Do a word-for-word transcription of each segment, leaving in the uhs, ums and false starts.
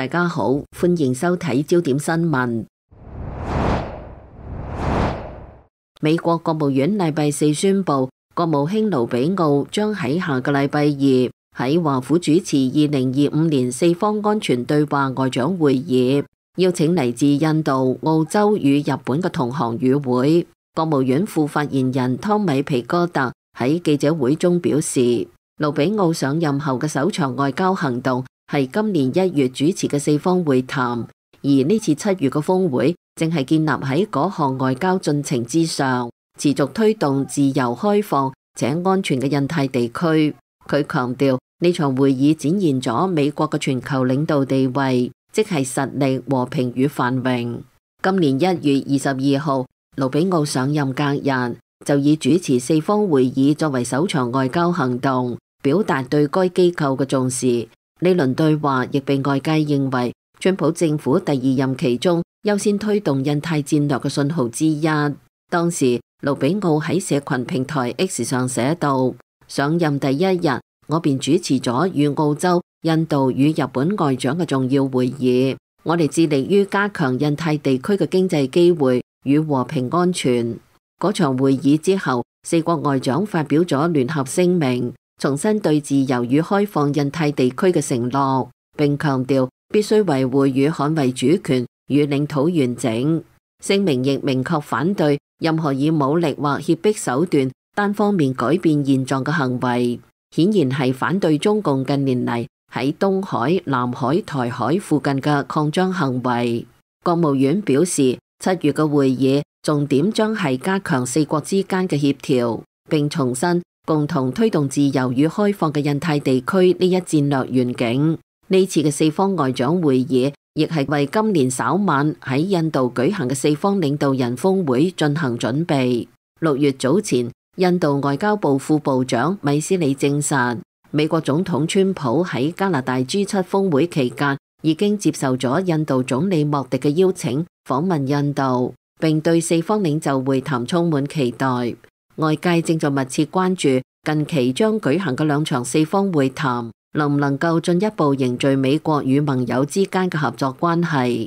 大家好，歡迎收睇焦點新聞。美國國務院禮拜四宣布，國務卿盧比奧將喺下個禮拜二喺華府主持二零二五年四方安全對話外長會議，邀請嚟自印度、澳洲與日本嘅同行與會。國務院副發言人湯米皮哥特喺記者會中表示，盧比奧上任後嘅首場外交行動係今年一月主持嘅四方會談，而呢次七月嘅峰會正係建立喺嗰項外交進程之上，持續推動自由開放且安全嘅印太地區。佢強調呢場會議展現咗美國嘅全球領導地位，即係實力、和平與繁榮。今年一月二十二號，盧比奧上任隔日就以主持四方會議作為首場外交行動，表達對該機構嘅重視。呢輪對話亦被外界認為川普政府第二任期中優先推動印太戰略嘅信號之一。當時盧比奧喺社群平台 X 上寫道：上任第一日，我便主持咗與澳洲、印度與日本外長嘅重要會議。我哋致力於加強印太地區嘅經濟機會與和平安全。嗰場會議之後，四國外長發表咗聯合聲明，重申對自由與開放印太地區嘅承諾，並強調必須維護與捍衛主權與領土完整。聲明亦明確反對任何以武力或脅迫手段單方面改變現狀嘅行為，顯然係反對中共近年嚟喺東海、南海、台海附近嘅擴張行為。國務院表示，七月嘅會議重點將係加強四國之間嘅協調，並重申共同推動自由與開放嘅印太地區呢一戰略願景。呢次嘅四方外長會議亦係為今年稍晚喺印度舉行嘅四方領導人峰會進行準備。六月早前，印度外交部副部長米斯里證實，美國總統川普喺加拿大 G 七 峰會期間已經接受咗印度總理莫迪嘅邀請訪問印度，並對四方領袖會談充滿期待。外界正在密切關注近期將舉行嘅兩場四方會談能唔能夠進一步凝聚美國與盟友之間嘅合作關係。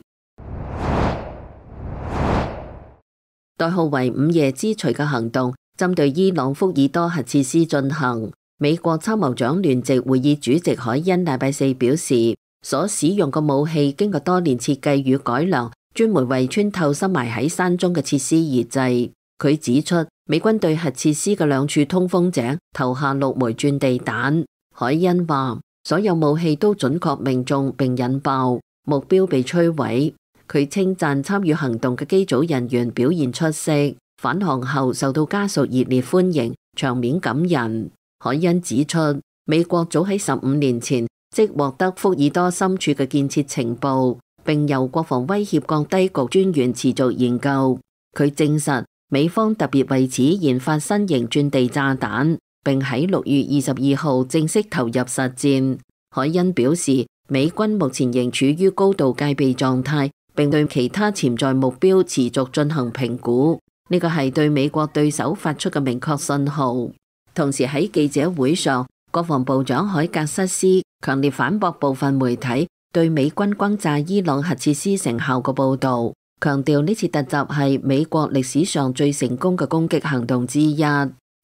代號為午夜之鎚嘅行動針對伊朗福爾多核設施進行。美國參謀長聯席會議主席海恩禮拜四表示，所使用嘅武器經過多年設計與改良，專門為穿透深埋喺山中嘅設施而製。佢指出，美軍對核設施嘅兩處通風井投下六枚鑽地彈。海恩話，所有武器都準確命中並引爆，目標被摧毀。佢稱讚參與行動嘅機組人員表現出色，返航後受到家屬熱烈歡迎，場面感人。海恩指出，美國早喺十五年前即獲得福爾多深處嘅建設情報，並由國防威脅降低局專員持續研究。佢證實美方特別為此研發新型鑽地炸彈，並喺六月二十二號正式投入實戰。海恩表示，美軍目前仍處於高度戒備狀態，並對其他潛在目標持續進行評估。呢個係對美國對手發出嘅明確信號。同時喺記者會上，國防部長海格瑟斯強烈反駁部分媒體對美軍轟炸伊朗核設施成效嘅報導，強調呢次突襲係美國歷史上最成功嘅攻擊行動之一。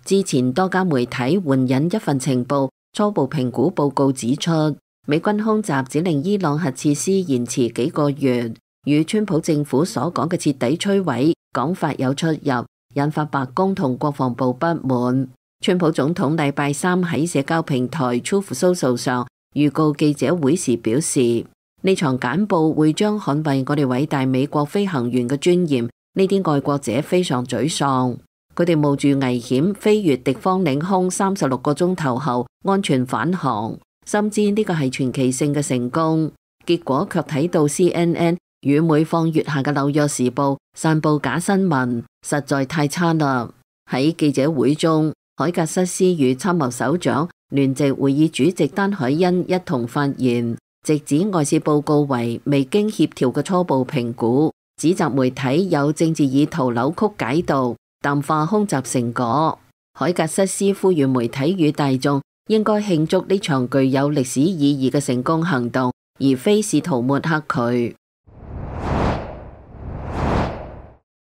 之前多家媒體援引一份情報初步評估報告指出，美軍空襲只令伊朗核設施延遲幾個月，與川普政府所講嘅徹底摧毀講法有出入，引發白宮同國防部不滿。川普總統禮拜三喺社交平台 Truth Social 上預告記者會時表示，呢場簡報會將捍衛我哋偉大美國飛行員嘅尊嚴。呢啲愛國者非常沮喪，佢哋冒住危險飛越敵方領空三十六個鐘頭後安全返航，深知呢個係傳奇性嘅成功，結果卻睇到 C N N 與每況愈下嘅紐約時報散佈假新聞，實在太差啦。喺記者會中，海格瑟斯與參謀首長聯席會議主席丹海恩一同發言，直指外事報告為未經協調嘅初步評估，指責媒體有政治意圖扭曲解讀，淡化空襲成果。海格瑟斯呼籲媒體與大眾應該慶祝呢場具有歷史意義嘅成功行動，而非試圖抹黑佢。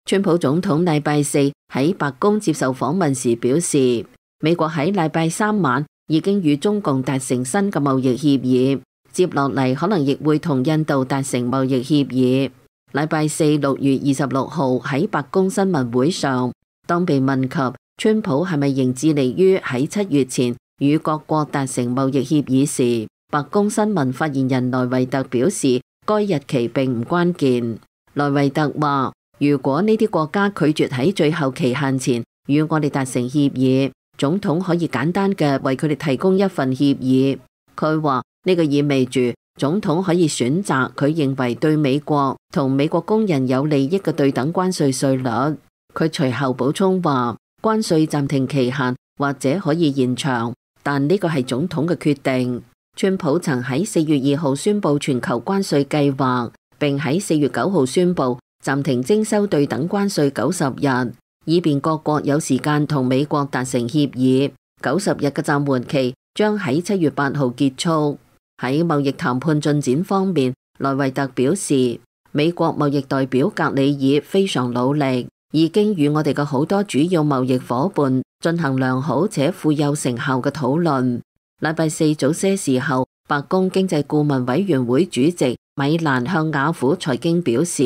川普總統禮拜四喺白宮接受訪問時表示，美國喺禮拜三晚已經與中共達成新嘅貿易協議，接落嚟可能亦會同印度達成貿易協議。禮拜四六月二十六號喺白宮新聞會上，當被問及川普係咪仍致力於喺七月前與各國達成貿易協議時，白宮新聞發言人萊維特表示，該日期並唔關鍵。萊維特話，如果呢啲國家拒絕喺最後期限前與我哋達成協議，總統可以簡單嘅為佢哋提供一份協議。佢話呢個意味住總統可以選擇佢認為對美國同美國工人有利益嘅對等關稅稅率。佢隨後補充話，關稅暫停期限或者可以延長，但呢個係總統嘅決定。川普曾喺四月二號宣布全球關稅計劃，並喺四月九號宣布暫停徵收對等關稅九十日，以便各國有時間同美國達成協議。九十日嘅暫緩期將喺七月八號結束。喺貿易談判進展方面，萊維特表示，美國貿易代表格里爾非常努力，已經與我哋嘅好多主要貿易夥伴進行良好且富有成效嘅討論。禮拜四早些時候，白宮經濟顧問委員會主席米蘭向雅虎財經表示，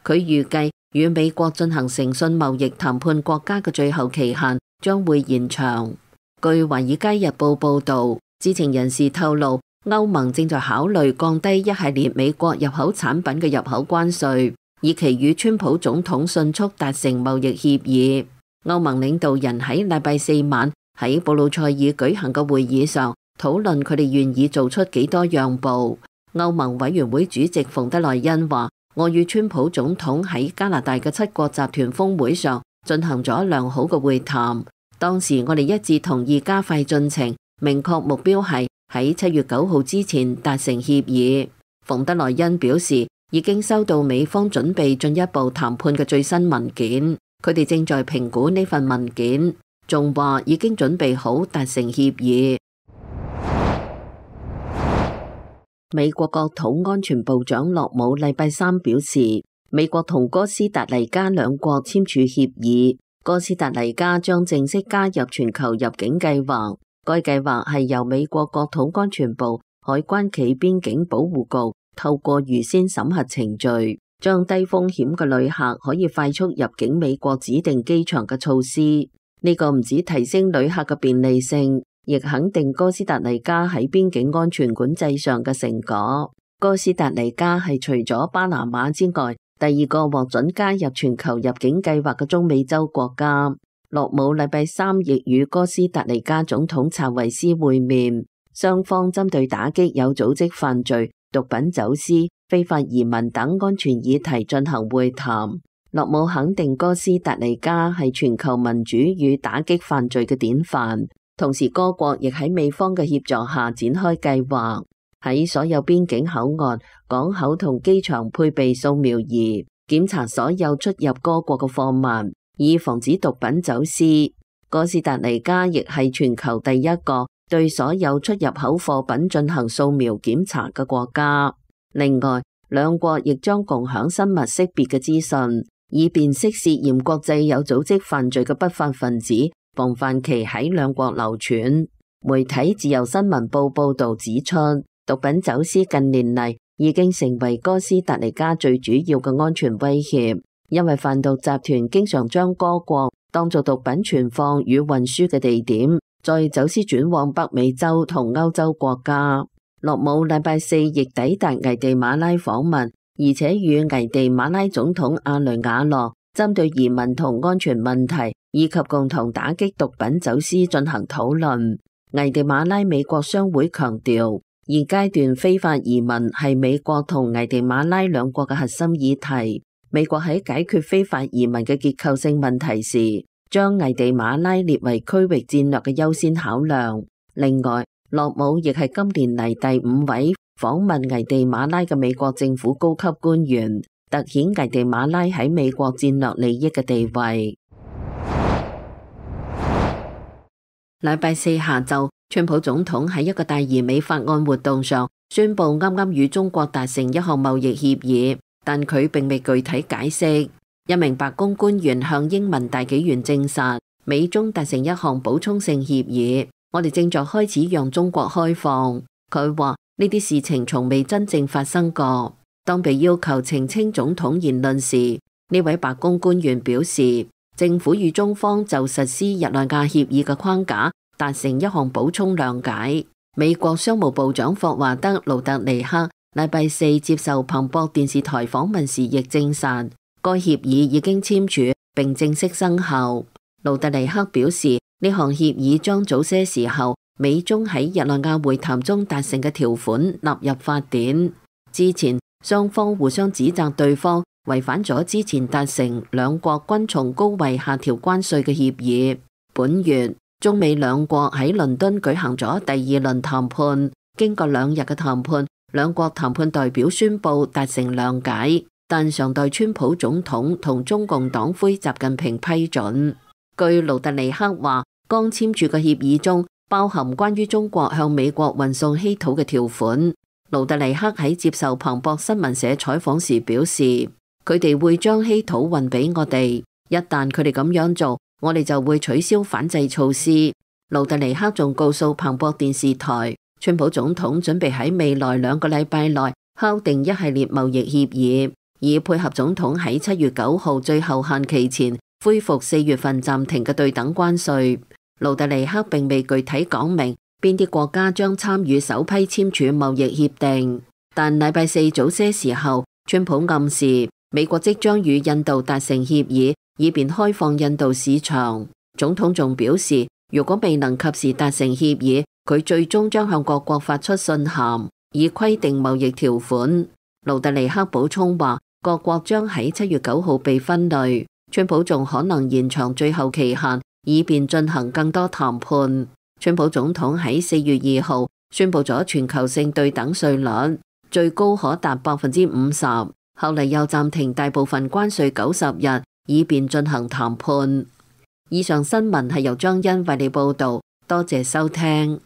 佢預計與美國進行誠信貿易談判國家嘅最後期限將會延長。據華爾街日報報導，知情人士透露，歐盟正在考慮降低一系列美國入口產品嘅入口關稅，以期與川普總統迅速達成貿易協議。歐盟領導人喺禮拜四晚喺布魯塞爾舉行嘅會議上討論佢哋願意做出幾多讓步。歐盟委員會主席馮德萊恩話，我與川普總統喺加拿大嘅七國集團峰會上進行咗良好嘅會談，當時我哋一致同意加快進程，明確目標係喺七月九號之前達成協議。馮德萊恩表示，已經收到美方準備進一步談判嘅最新文件，佢哋正在評估呢份文件，仲話已經準備好達成協議。美國國土安全部長洛姆禮拜三表示，美國同哥斯達黎加兩國簽署協議，哥斯達黎加將正式加入全球入境計劃。該計劃係由美國國土安全部海關暨邊境保護局透過預先審核程序，將低風險嘅旅客可以快速入境美國指定機場嘅措施。呢個唔止提升旅客嘅便利性，亦肯定哥斯達黎加喺邊境安全管制上嘅成果。哥斯達黎加係除咗巴拿馬之外，第二個獲准加入全球入境計劃嘅中美洲國家。洛姆禮拜三亦與哥斯達黎加總統查維斯會面，雙方針對打擊有組織犯罪、毒品走私、非法移民等安全議題進行會談。洛姆肯定哥斯達黎加係全球民主與打擊犯罪嘅典範，同時各國亦喺美方嘅協助下展開計劃，喺所有邊境口岸、港口同機場配備掃描儀，檢查所有出入各國嘅貨物，以防止毒品走私。哥斯達黎加亦係全球第一個對所有出入口貨品進行掃描檢查嘅國家。另外，兩國亦將共享生物識別嘅資訊，以辨識涉嫌國際有組織犯罪嘅不法分子，防範其喺兩國流傳。媒體自由新聞報報道指出，毒品走私近年嚟已經成為哥斯達黎加最主要嘅安全威脅。因為販毒集團經常將該國當作毒品存放與運輸嘅地點，再走私轉往北美洲同歐洲國家。洛姆禮拜四亦抵達危地馬拉訪問，而且與危地馬拉總統阿雷瓦諾針對移民同安全問題以及共同打擊毒品走私進行討論。危地馬拉美國商會強調，現階段非法移民係美國同危地馬拉兩國嘅核心議題。美國喺解決非法移民嘅結構性問題時，將危地馬拉列為區域戰略嘅優先考量。另外，洛姆亦係今年嚟第五位訪問危地馬拉嘅美國政府高級官員，凸顯危地馬拉喺美國戰略利益嘅地位。禮拜四下晝，川普總統喺一個大而美法案活動上宣布啱啱與中國達成一項貿易協議，但佢並未具體解釋。一名白宮官員向英文大紀元證實，美中達成一項補充性協議，我哋正在開始讓中國開放。佢話呢啲事情從未真正發生過。當被要求澄清總統言論時，呢位白宮官員表示，政府與中方就實施日內瓦協議嘅框架達成一項補充諒解。美國商務部長霍華德·盧特尼克禮拜四接受彭博電視台訪問時亦證實，該協議已經簽署並正式生效。盧特尼克表示，呢項協議將早些時候美中喺日內瓦會談中達成嘅條款納入法典。之前雙方互相指責對方違反咗之前達成兩國均從高位下調關稅嘅協議。本月中美兩國喺倫敦舉行咗第二輪談判，經過兩日嘅談判，兩國談判代表宣布達成諒解，但尚待川普總統同中共黨魁習近平批准。據盧特尼克話，剛簽署嘅協議中包含關於中國向美國運送稀土嘅條款。盧特尼克喺接受彭博新聞社採訪時表示，佢哋會將稀土運俾我哋，一旦佢哋咁樣做，我哋就會取消反制措施。盧特尼克仲告訴彭博電視台，川普總統準備喺未來兩個禮拜內敲定一系列貿易協議，以配合總統喺七月九號最後限期前恢復四月份暫停嘅對等關稅。盧特尼克並未具體講明邊啲國家將參與首批簽署貿易協定，但禮拜四早些時候，川普暗示美國即將與印度達成協議，以便開放印度市場。總統仲表示，如果未能及時達成協議，佢最終將向各國發出信函，以規定貿易條款。盧特尼克補充話，各國將喺七月九號被分類，川普仲可能延長最後期限，以便進行更多談判。川普總統喺四月二號宣布咗全球性對等稅率，最高可達百分之五十，後嚟又暫停大部分關稅九十日，以便進行談判。以上新聞係由張欣為你報道，多謝收聽。